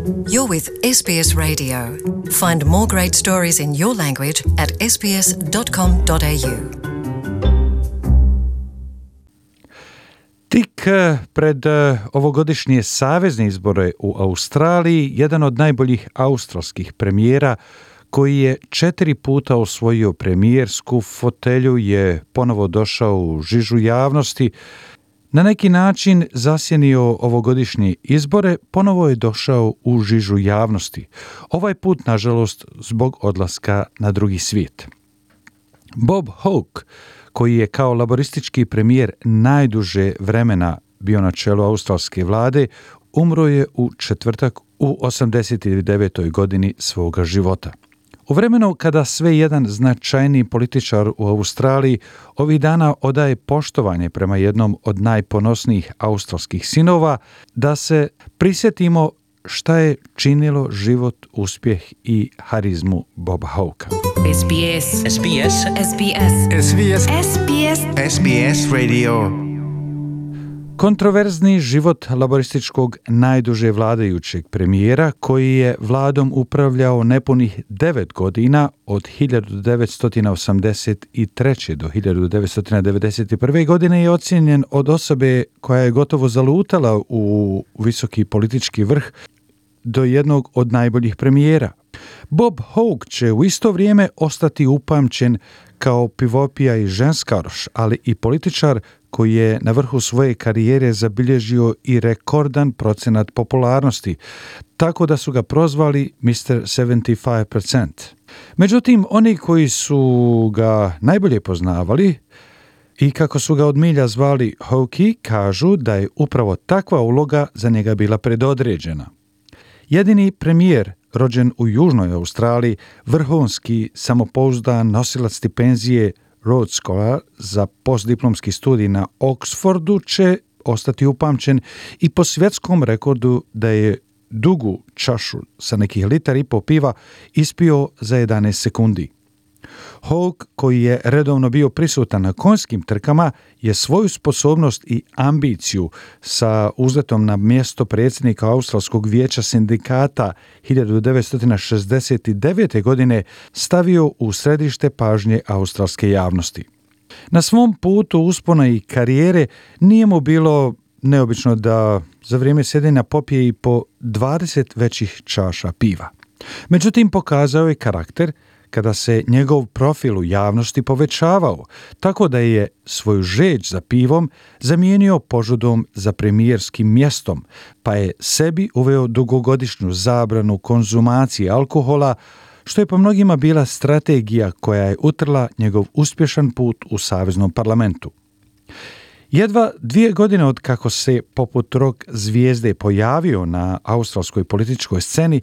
You're with SBS Radio. Find more great stories in your language at sbs.com.au. Tik pred ovogodišnje savezne izbore u Australiji, jedan od najboljih australskih premijera koji je 4 puta osvojio premijersku fotelju je ponovo došao u žižu javnosti. Na neki način zasjenio ovogodišnje izbore, ponovo je došao u žižu javnosti. Ovaj put, nažalost, zbog odlaska na drugi svijet. Bob Hawke, koji je kao laboristički premijer najduže vremena bio na čelu australske vlade, umro je u četvrtak u 89. godini svoga života. U vremenu kada sve jedan značajniji političar u Australiji ovih dana odaje poštovanje prema jednom od najponosnijih australskih sinova, da se prisjetimo šta je činilo život, uspjeh i harizmu Boba Hawkea. SBS. SBS. SBS. SBS. SBS. SBS Radio. Kontroverzni život laborističkog najduže vladajućeg premijera, koji je vladom upravljao nepunih 9 godina od 1983. do 1991. godine, je ocijenjen od osobe koja je gotovo zalutala u visoki politički vrh do jednog od najboljih premijera. Bob Hawke će u isto vrijeme ostati upamćen kao pivopija i ženskaroš, ali i političar koji je na vrhu svoje karijere zabilježio i rekordan procenat popularnosti, tako da su ga prozvali Mr. 75%. Međutim, oni koji su ga najbolje poznavali i kako su ga od milja zvali Hawkey, kažu da je upravo takva uloga za njega bila predodređena. Jedini premijer rođen u Južnoj Australiji, vrhunski samopouzdan nosilac stipendije Rhodes Scholar za postdiplomski studij na Oxfordu, će ostati upamćen i po svjetskom rekordu da je dugu čašu sa nekih 1,5 litara piva ispio za 11 sekundi. Hawke, koji je redovno bio prisutan na konjskim trkama, je svoju sposobnost i ambiciju sa uzletom na mjesto predsjednika Australskog vijeća sindikata 1969. godine stavio u središte pažnje australske javnosti. Na svom putu uspona i karijere nije mu bilo neobično da za vrijeme sjedenja popije i po 20 većih čaša piva. Međutim, pokazao je karakter kada se njegov profil u javnosti povećavao, tako da je svoju žeđ za pivom zamijenio požudom za premijerskim mjestom, pa je sebi uveo dugogodišnju zabranu konzumacije alkohola, što je po mnogima bila strategija koja je utrla njegov uspješan put u saveznom parlamentu. Jedva 2 godine od kako se poput rock zvijezde pojavio na australskoj političkoj sceni,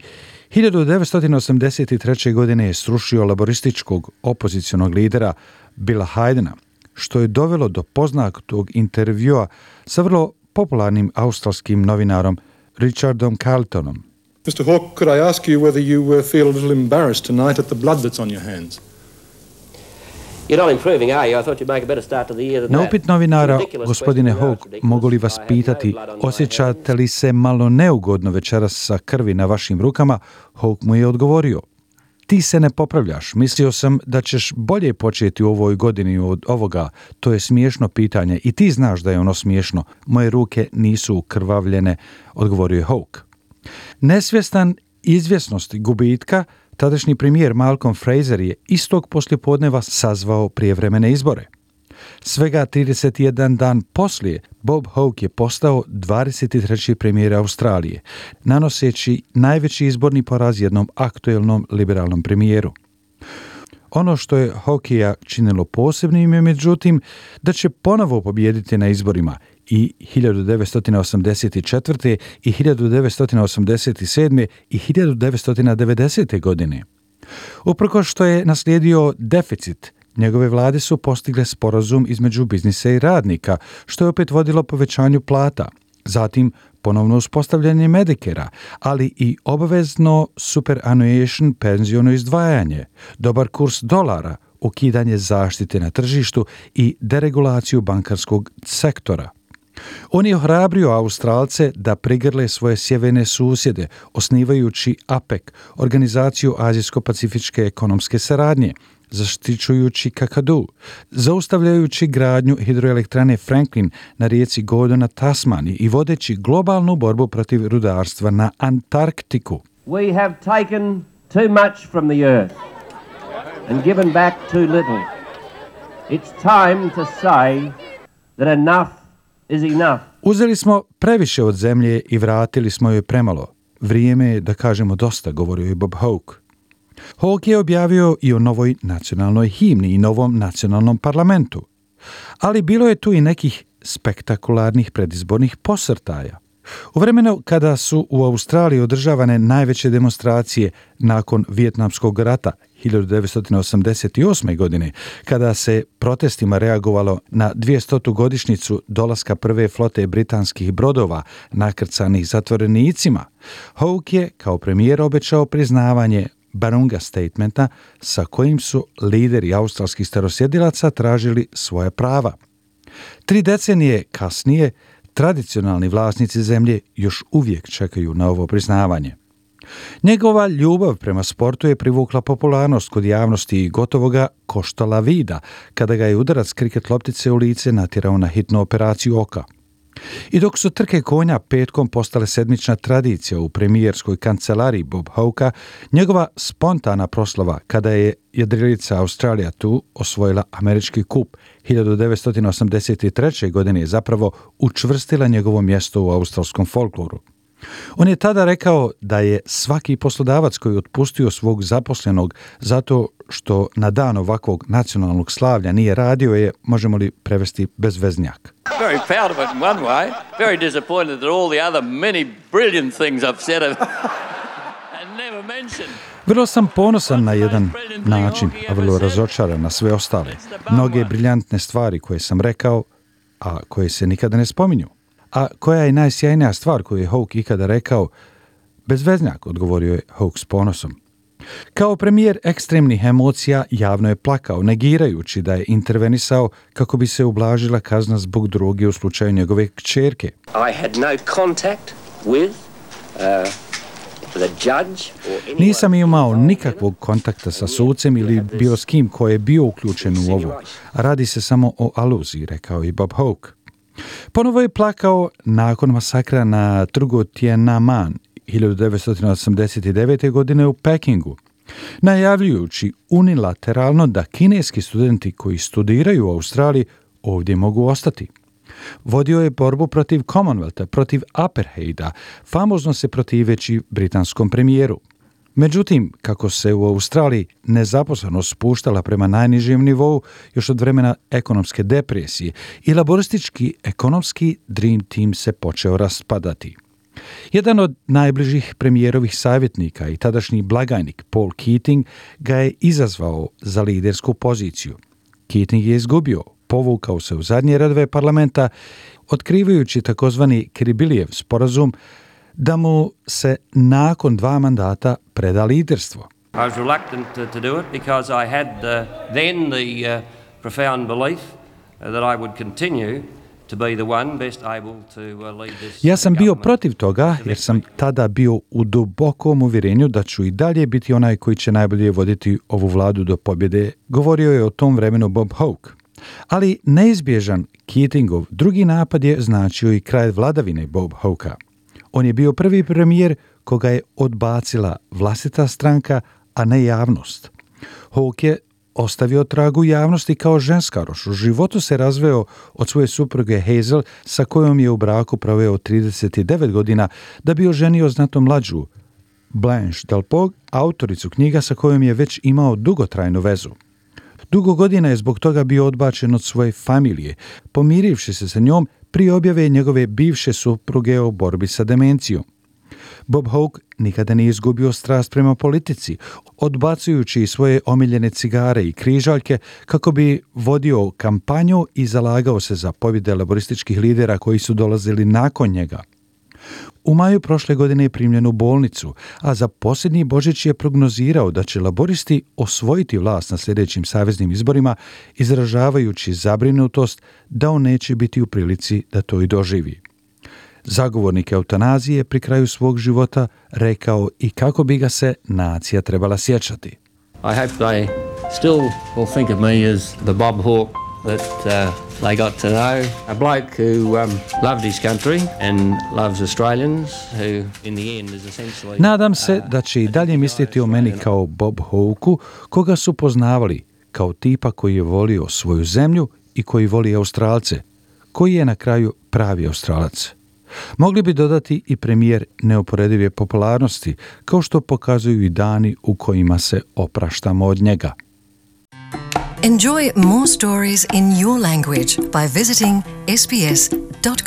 1983. godine je srušio laborističkog opozicionog lidera Billa Haydena, što je dovelo do poznatog intervjua sa vrlo popularnim australskim novinarom Richardom Carltonom. Mr. Hawke, could I ask you whether you feel a little embarrassed tonight at the blood that's on your hands? You're not improving, are you? I thought you'd make a better start to the year than that. Na upit novinara, gospodine Hawke, mogu li vas pitati, osjećate li se malo neugodno večeras sa krvi na vašim rukama? Hawke mu je odgovorio: ti se ne popravljaš, mislio sam da ćeš bolje početi u ovoj godini od ovoga, to je smiješno pitanje i ti znaš da je ono smiješno, moje ruke nisu ukrvavljene, odgovorio je Hawke. Nesvjestan izvjesnosti gubitka, tadašnji premijer Malcolm Fraser je istog poslijepodneva sazvao prijevremene izbore. Svega 31 dan poslije, Bob Hawke je postao 23. premijer Australije, nanoseći najveći izborni poraz jednom aktuelnom liberalnom premijeru. Ono što je Hawkeja činilo posebnim je, međutim, da će ponovo pobijediti na izborima i 1984. i 1987. i 1990. godine. Uprkos što je naslijedio deficit, njegove vlade su postigle sporazum između biznisa i radnika, što je opet vodilo povećanju plata. Zatim ponovno uspostavljanje Medicarea, ali i obavezno superannuation penziono izdvajanje, dobar kurs dolara, ukidanje zaštite na tržištu i deregulaciju bankarskog sektora. On je ohrabrio Australce da prigrle svoje sjeverne susjede, osnivajući APEC, Organizaciju Azijsko-pacifičke ekonomske saradnje, zaštićujući kakadu, zaustavljajući gradnju hidroelektrane Franklin na rijeci Godo na Tasmaniji i vodeći globalnu borbu protiv rudarstva na Antarktiku. We have taken too much from the earth and given back too little. It's time to say that enough is enough. Uzeli smo previše od zemlje i vratili smo joj premalo. Vrijeme je da kažemo dosta, govorio je Bob Hawke. Hawke je objavio i o novoj nacionalnoj himni i novom nacionalnom parlamentu. Ali bilo je tu i nekih spektakularnih predizbornih posrtaja. U vremenu kada su u Australiji održavane najveće demonstracije nakon Vijetnamskog rata 1988. godine, kada se protestima reagovalo na 200. godišnjicu dolaska prve flote britanskih brodova nakrcanih zatvorenicima, Hawke je kao premijer obećao priznavanje Barunga statementa sa kojim su lideri australskih starosjedilaca tražili svoja prava. 3 decenije kasnije tradicionalni vlasnici zemlje još uvijek čekaju na ovo priznavanje. Njegova ljubav prema sportu je privukla popularnost kod javnosti i gotovo ga koštala vida kada ga je udarac kriket loptice u lice natjerao na hitnu operaciju oka. I dok su trke konja petkom postale sedmična tradicija u premijerskoj kancelariji Bob Hawkea, njegova spontana proslava kada je jedrilica Australija tu osvojila američki kup 1983. godine je zapravo učvrstila njegovo mjesto u australskom folkloru. On je tada rekao da je svaki poslodavac koji otpustio svog zaposlenog zato što na dan ovakvog nacionalnog slavlja nije radio je, možemo li prevesti, bezveznjak. Very proud of it in one way, very disappointed that all the other many brilliant things I've said and never mentioned. Vrlo sam ponosan na jedan način, a vrlo razočaran na sve ostale. Mnoge briljantne stvari koje sam rekao, a koje se nikada ne spominju. A koja je najsjajnija stvar koju je Hawke ikada rekao? Bezveznjak, odgovorio je Hawke s ponosom. Kao premijer ekstremnih emocija javno je plakao, negirajući da je intervenisao kako bi se ublažila kazna zbog droge u slučaju njegove kćerke. I had no contact with the judge or anyone. Nisam imao nikakvog kontakta sa sucem ili bilo s kim ko je bio uključen u ovo. Radi se samo o aluziji, rekao je Bob Hawke. Ponovo je plakao nakon masakra na trgu Tiananmen 1989. godine u Pekingu, najavljujući unilateralno da kineski studenti koji studiraju u Australiji ovdje mogu ostati. Vodio je borbu protiv Commonwealtha, protiv apartheida, famozno se protiveći britanskom premijeru. Međutim, kako se u Australiji nezaposlenost spuštala prema najnižem nivou još od vremena ekonomske depresije i laboristički ekonomski Dream Team se počeo raspadati. Jedan od najbližih premijerovih savjetnika i tadašnji blagajnik Paul Keating ga je izazvao za lidersku poziciju. Keating je izgubio, povukao se u zadnje redove parlamenta, otkrivajući takozvani Kiribalijev sporazum da mu se nakon 2 mandata preda liderstvo. I was reluctant to do it because I had then the profound belief that I would continue to be the one best able to lead this. Ja sam bio protiv toga jer sam tada bio u dubokom uvjerenju da ću i dalje biti onaj koji će najbolje voditi ovu vladu do pobjede, govorio je o tom vremenu Bob Hawke. Ali neizbježan Keatingov drugi napad je značio i kraj vladavine Bob Hawkea. On je bio prvi premijer koga je odbacila vlastita stranka, a ne javnost. Hawke je ostavio trag u javnosti kao ženskaroš. U životu se razveo od svoje supruge Hazel, sa kojom je u braku proveo 39 godina, da bi oženio znatno mlađu Blanche Delpog, autoricu knjiga sa kojom je već imao dugotrajnu vezu. Dugo godina je zbog toga bio odbačen od svoje familije, pomirivši se sa njom prije objave njegove bivše supruge o borbi sa demencijom. Bob Hawke nikada nije izgubio strast prema politici, odbacujući svoje omiljene cigare i križaljke kako bi vodio kampanju i zalagao se za pobjede laborističkih lidera koji su dolazili nakon njega. U maju prošle godine je primljen u bolnicu, a za posljednji Božić je prognozirao da će laboristi osvojiti vlast na sljedećim saveznim izborima, izražavajući zabrinutost da on neće biti u prilici da to i doživi. Zagovornik eutanazije pri kraju svog života rekao i kako bi ga se nacija trebala sjećati. I hope they still will think of me as the Bob Hawke that they got to know. A bloke who loved his country and loves Australians, who in the end is essentially... Nadam se da će i dalje misliti o meni kao Bob Hawkeu, koga su poznavali, kao tipa koji je volio svoju zemlju i koji voli Australce, koji je na kraju pravi Australac. Mogli bi dodati i premijer neuporedive popularnosti, kao što pokazuju i dani u kojima se opraštamo od njega. Enjoy more stories in your language by visiting sbs.com.au.